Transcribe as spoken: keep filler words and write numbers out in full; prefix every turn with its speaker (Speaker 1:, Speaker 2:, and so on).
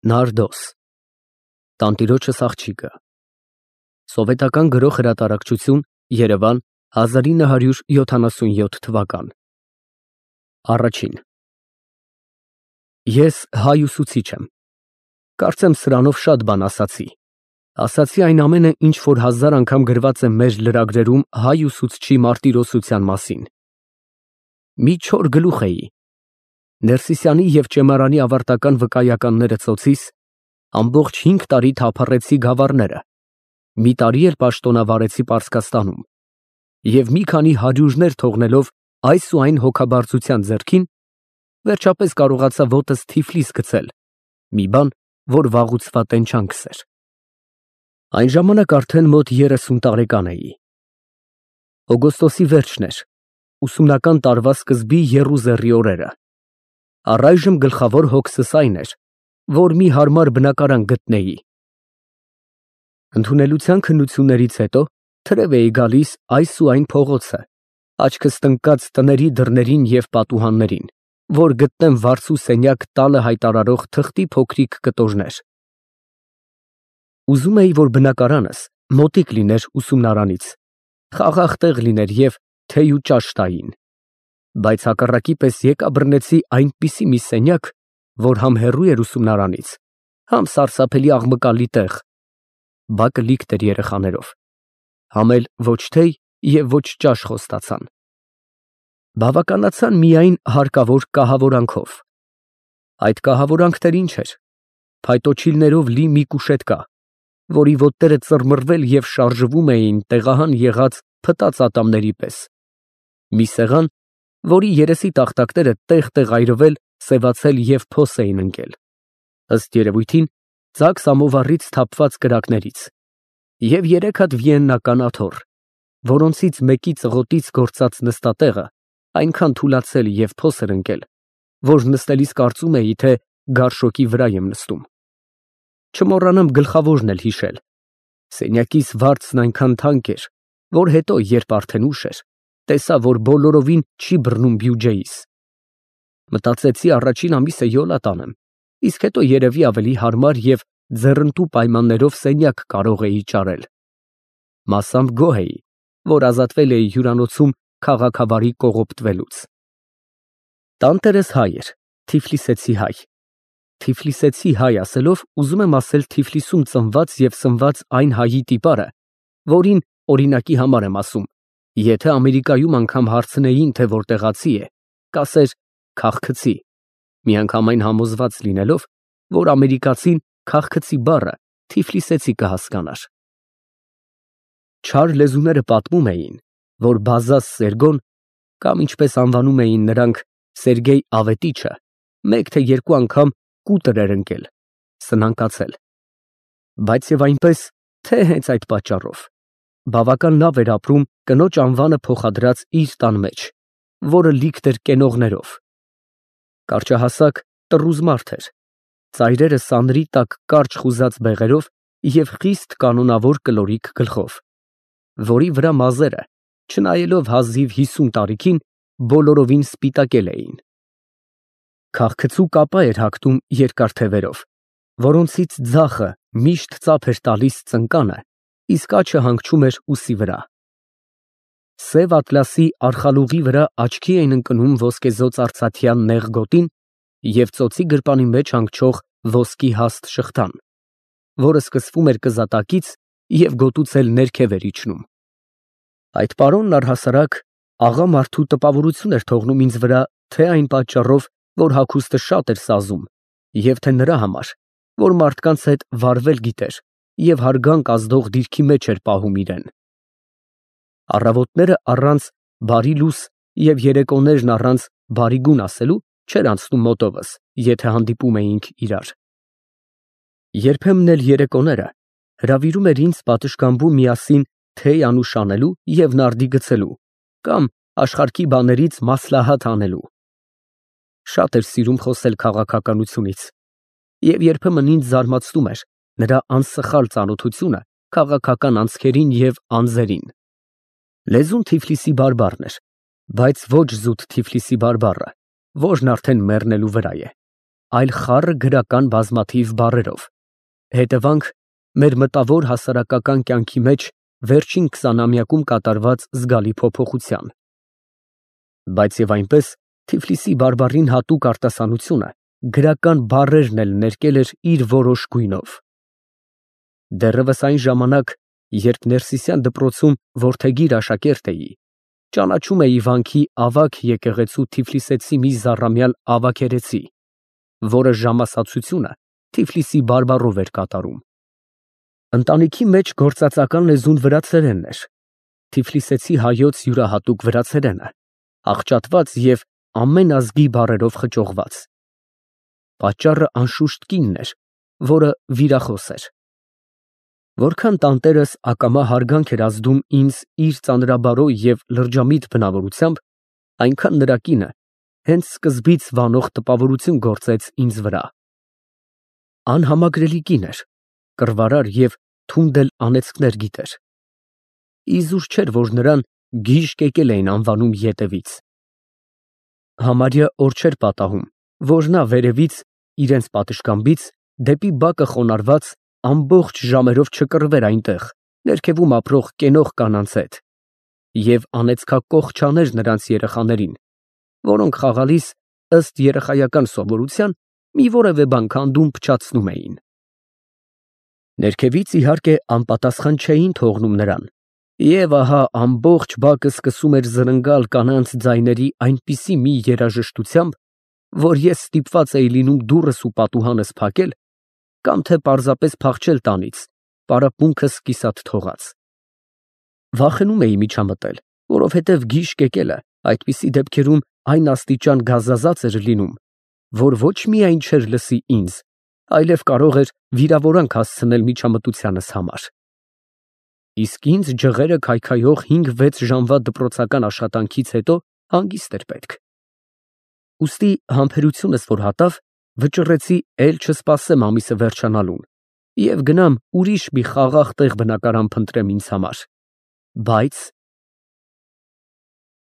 Speaker 1: Նարդոս Տանտիրոջս աղջիկը Սովետական Գրող հրատարակչություն, Երևան, հազար ինը հարյուր յոթանասունյոթ թվական Առաջին Ես հայ ուսուցիչ եմ, կարծեմ սրանով շատ բան ասացի, ասացի այն ամենը, ինչ որ հազար անգամ գրված է մեր լրագրերում հայ ուսուցչի մարտիրոսության մասին։ Մի չոր գլուխ էի, Ներսիսյանի և Ճեմարանի ավարտական վկայականները ծոցիս, ամբողջ հինգ տարի թափառեցի Գավառները, մի տարի էլ պաշտոնավարեցի Պարսկաստանում, և մի քանի հարյուրներ թողնելով այս ու այն հոգաբարձության ձեռքին, վերջապես կարողացա ոտս Թիֆլիս գցել, մի բան, որ վաղուց տենչանքս էր։ Այն ժամանակ արդեն մոտ երեսուն տարեկան էի։ Օգոստոսի վերջն էր, ուսումնական տարվա սկզբի եռուզեռի օրերը։ Առայժմ գլխավոր հոգսս այն էր, որ մի հարմար բնակարան գտնեի։ Ընդունելության քննություններից հետո թրև էի գալիս այս ու այն փողոցը, աչքս տնկած տների դռներին և պատուհաններին, որ գտնեմ վարձու սենյակ տալը հայտարարող թղթի փոքրիկ կտորներ։ Ուզում էի, որ բնակարանս մոտիկ լիներ ուսումնարանից, խաղաղ տեղ լիներ և թեյ ու ճաշ տային, բայց հակառակի պես եկա բռնեցի այնպիսի մի սենյակ, որ համ հեռու էր ուսումնարանից, համ սարսափելի աղմկալի տեղ, բակը լիքտ էր երեխաներով, համ էլ ոչ թեյ և ոչ ճաշ խոստացան։ Բավականացան միայն հարկավոր կահավորանքով։ Այդ կահավորանքն ինչ էր, փայտոջիլներով լի մի կուշետկա, որի ոտները ծռմռվել և շարժվում էին տեղահան եղած փտած ատամների պես, մի սեղան, որի երեսի տախտակները տեղ֊տեղ այրվել, սևացել և փոս էին ընկել, ըստ երևույթին ծակ սամովարից թափված կրակներից, և երեք հատ վիեննական աթոռ, որոնցից մեկի ծղոտից գործած նստատեղը այնքան թուլացել և փոս էր ընկել, որ նստելիս կարծում էի, թե գարշոկի վրա եմ նստում։ Չմոռանամ գլխավորն էլ հիշել. սենյակիս վարձն այնքան թանկ էր, որ հետո, երբ արդեն ուշ էր, տեսա, որ բոլորովին չի բռնում բյուջեիս։ Մտածեցի առաջին ամիսը յոլա տանեմ, իսկ հետո երևի ավելի հարմար և ձեռնտու պայմաններով սենյակ կարող էի ճարել։ Մասամբ գոհ էի, որ ազատվել էի հյուրանոցում քաղաքավարի կողոպտվելուց։ Տանտերս հայ էր, թիֆլիսեցի հայ։ Թիֆլիսեցի հայ ասելով ուզում եմ ասել Թիֆլիսում ծնված և սնված այն հայի տիպարը, որին, օրինակի համար եմ ասում, եթե Ամերիկայում անգամ հարցնեին, թե որտեղացի է, կասեր քաղքցի, միանգամայն համոզված լինելով, որ ամերիկացին քաղքցի բառը թիֆլիսեցի կհասկանար։ Չար լեզուները պատմում էին, որ Բազազ Սերգոն, կամ ինչպես անվանում էին նրանք Սերգեյ Ավետիչը, մեկ թե երկու անգամ կուտր էր ընկել, սնանկացել, բայց և այնպես, թե հենց այդ պատճառով, բավական լավ էր ապրում կնոջ անվանը փոխադրած իր տան մեջ, որը լիքտ էր կենողներով։ Կարճահասակ, տռուզ մարդ էր, ծայրերը սանրի տակ կարճ խուզած բեղերով և խիստ կանոնավոր կլորիկ գլխով, որի վրա մազերը, չնայելով հազիվ հիսուն տարիքին, բոլորովին սպիտակել էին։ Քաղքցու կապա էր հագնում երկար թևերով, որոնցից ձախը միշտ ծափ էր տալիս ծնկանը, իսկ աջը հանգչում էր ուսի վրա։ Սև ատլասի արխալուղի վրա աչքի էին ընկնում ոսկեզօծ արծաթյան նեղ գոտին և ծոցի գրպանի մեջ հանգչող ոսկի հաստ շղթան, որը սկսվում էր կզատակից և գոտուց էլ ներքև էր իջնում։ Այդ պարոնն առհասարակ աղա մարդու տպավորություն էր թողնում ինձ վրա թե այն պատճառով, որ հագուստը շատ էր սազում, և թե նրա համար, որ մարդկանց հետ վարվել գիտեր և հարգանք ազդող դիրքի մեջ էր պահում իրեն։ Առավոտները առանց բարի լույս և երեկոներն առանց բարի գուն ասելու չէր անցնում մոտովս, եթե հանդիպում էինք իրար։ Երբեմն էլ երեկոները հրավիրում էր ինձ պատշգամբում միասին թեյ անուշ անելու և նարդի գցելու կամ աշխարհքի բաներից մասլահաթ անելու։ Շատ էր սիրում խոսել քաղաքականությունից, և երբեմն ինձ զարմացնում էր նրա անսխալ ծանոթությունը քաղաքական անցքերին և անձերին։ Լեզուն Թիֆլիսի բարբառն էր, բայց ոչ զուտ Թիֆլիսի բարբառը, որն արդեն մեռնելու վրա է։ այլ խառը գրական բազմաթիվ բառերով, հետևանք մեր մտավոր հասարակական կյանքի մեջ վերջին քսանամյակում կատարված զգալի փոփոխության։ Բայց և այնպես Թիֆլիսի բարբառին հատուկ արտասանությունը գրական բառերն էլ ներկել էր իր որոշ գույնով։ Դեռևս այն ժամանակ, երբ Ներսիսյան դպրոցում որդեգիր աշակերտ էի, ճանաչում էի վանքի ավագ եկեղեցու Թիֆլիսեցի մի զառամյալ ավագերեցի, որը ժամասացությունը Թիֆլիսի բարբառով էր կատարում։ Ընտանիքի մեջ գործածական լեզուն վրացերենն էր, Թիֆլիսեցի հայոց յուրահատուկ վրացերենը, աղճատված և ամեն ազգի բառերով խճողված։ Պատճառը անշուշտ կինն էր, որը վիրախոս էր։ Որքան տանտերս ակամա հարգանք էր ազդում ինձ իր ծանրաբարո և լրջամիտ բնավորությամբ, այնքան նրա կինը հենց սկզբից վանող տպավորություն գործեց ինձ վրա։ Անհամակրելի կին էր, կռվարար և թունդ էլ անեծքներ գիտեր։ Իզուր չէր, որ նրան գիժ կեկել էին անվանում ետևից։ Համարյա օր չէր պատահում, որ նա վերևից, իրենց պատշգամբից, դեպի բակը խոնարհված, ամբողջ ժամերով չկռվեր այնտեղ, ներքևում ապրող կենող կանանց հետ և անեծքակոխ չաներ նրանց երեխաներին, որոնք խաղալիս, ըստ երեխայական սովորության, մի որևէ բան քանդում փչացնում էին։ Ներքևից, իհարկե, անպատասխան չէին թողնում նրան, և ահա ամբողջ բակը սկսում էր զրնգալ կանանց ձայների այնպիսի մի երաժշտությամբ, որ ես ստիպված էի լինում դուռս ու պատուհանս փակել կամ թե պարզապես փախչել տանից, պարապմունքս կիսատ թողած։ Վախենում էի միջամտել, որովհետև գիժ կեկելը այդպիսի դեպքերում այն աստիճան գազազած էր լինում, որ ոչ միայն չէր լսի ինձ, այլև կարող էր վիրավորանք հասցնել միջամտությանս համար։ Իսկ ինձ ջղերը քայքայող հինգ֊վեց ժամվա դպրոցական աշխատանքից հետո հանգիստ էր պետք։ Ուստի համբերությունս որ հատավ, վճռեցի էլ չսպասեմ ամիսը վերջանալուն և գնամ ուրիշ մի խաղաղ տեղ բնակարան փնտրեմ ինձ համար, բայց